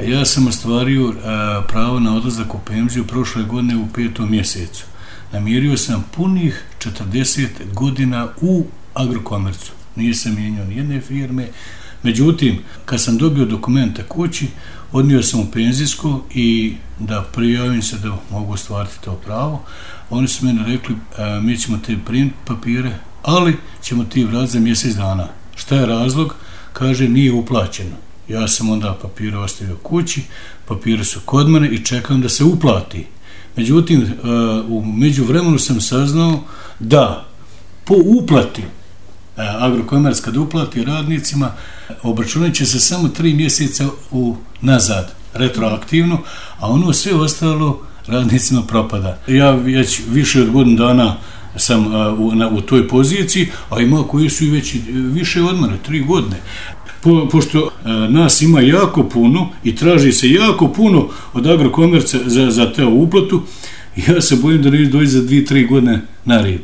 Ja sam ostvario pravo na odlazak u penziju prošle godine u 5. mjesecu. Namirio sam punih 40 godina u Agrokomercu. Nisam mijenjao nijedne firme. Međutim, kad sam dobio dokumente kući, odnio sam u penzijsko i da prijavim se da mogu ostvariti to pravo. Oni su meni rekli, mi ćemo te primiti papire, ali ćemo ti vratiti za mjesec dana. Šta je razlog? Kaže, nije uplaćeno. Ja sam onda papire ostavio kući, papire su kod mene i čekam da se uplati. Međutim, u međuvremenu sam saznao da po uplati Agrokomerc kad uplati radnicima, obračunat će se samo 3 mjeseca nazad, retroaktivno, a ono sve ostalo radnicima propada. Ja već više od godinu dana sam u toj poziciji, a ima koji su i već više od mene, 3 godine. Pošto nas ima jako puno i traži se jako puno od Agrokomerca za te uplatu, ja se bojim da neće doći za 2-3 godine na red.